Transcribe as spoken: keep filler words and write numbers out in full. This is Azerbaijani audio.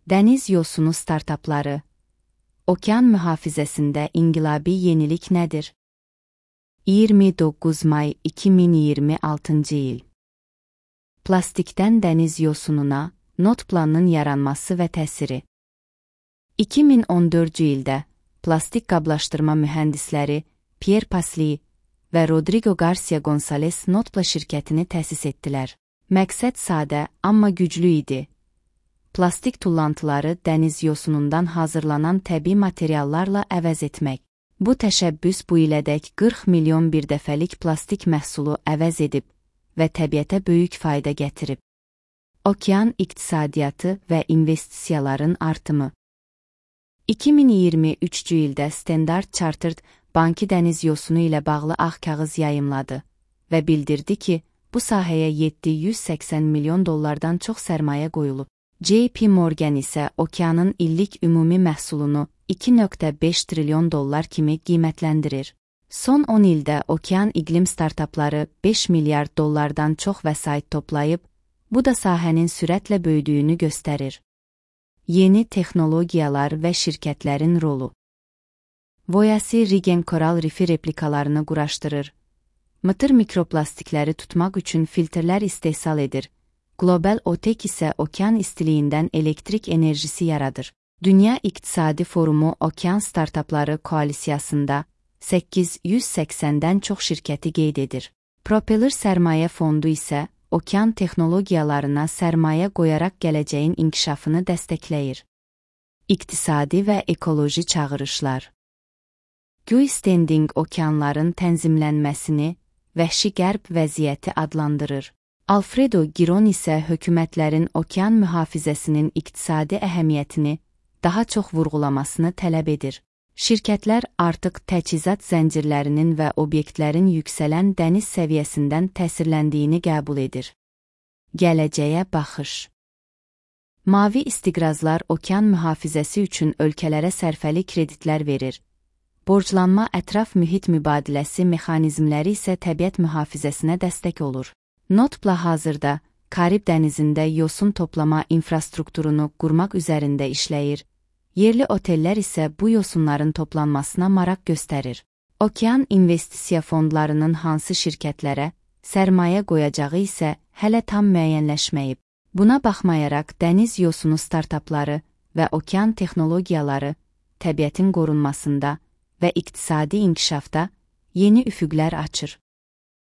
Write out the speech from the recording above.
Dəniz yosunu startapları. Okean mühafizəsində inqilabi yenilik nədir? iyirmi doqquz may iki min iyirmi altıncı il. Plastikdən dəniz yosununa not planının yaranması və təsiri. iki min on dördüncü ildə plastik qablaşdırma mühəndisləri Pierre Pasli və Rodrigo Garcia Gonzalez Notpla şirkətini təsis etdilər. Məqsəd sadə, amma güclü idi. Plastik tullantıları dəniz yosunundan hazırlanan təbii materiallarla əvəz etmək. Bu təşəbbüs bu ilədək qırx milyon birdəfəlik plastik məhsulu əvəz edib və təbiətə böyük fayda gətirib. Okean iqtisadiyyatı və investisiyaların artımı. iki min iyirmi üçüncü ildə Standard Chartered Bankı dəniz yosunu ilə bağlı ağ kağız yayımladı və bildirdi ki, bu sahəyə yeddi yüz səksən milyon dollardan çox sərmayə qoyulub. J P Morgan isə okeanın illik ümumi məhsulunu iki nöqtə beş trilyon dollar kimi qiymətləndirir. Son on ildə okean iqlim startapları beş milyard dollardan çox vəsait toplayıb, bu da sahənin sürətlə böyüdüyünü göstərir. Yeni texnologiyalar və şirkətlərin rolu. Voyasi Regen koral rifi replikalarını quraşdırır. Mıtır mikroplastikləri tutmaq üçün filtrlər istehsal edir. Global OTEC isə okean istiliyindən elektrik enerjisi yaradır. Dünya İqtisadi Forumu Okean Startapları Koalisiyasında səkkiz yüz səksəndən çox şirkəti qeyd edir. Propeller Sərmayə Fondu isə okean texnologiyalarına sərmayə qoyaraq gələcəyin inkişafını dəstəkləyir. İqtisadi və ekoloji çağırışlar. Geostanding okeanların tənzimlənməsini vəhşi qərb vəziyyəti adlandırır. Alfredo Giron isə hökumətlərin okean mühafizəsinin iqtisadi əhəmiyyətini daha çox vurğulamasını tələb edir. Şirkətlər artıq təchizat zəncirlərinin və obyektlərin yüksələn dəniz səviyyəsindən təsirləndiyini qəbul edir. Gələcəyə baxış. Mavi istiqrazlar okean mühafizəsi üçün ölkələrə sərfəli kreditlər verir. Borclanma ətraf mühit mübadiləsi mexanizmləri isə təbiət mühafizəsinə dəstək olur. Notpla hazırda Karib dənizində yosun toplama infrastrukturunu qurmaq üzərində işləyir. Yerli otellər isə bu yosunların toplanmasına maraq göstərir. Okean investisiya fondlarının hansı şirkətlərə sərmayə qoyacağı isə hələ tam müəyyənləşməyib. Buna baxmayaraq dəniz yosunu startapları və okean texnologiyaları təbiətin qorunmasında və iqtisadi inkişafda yeni üfüqlər açır.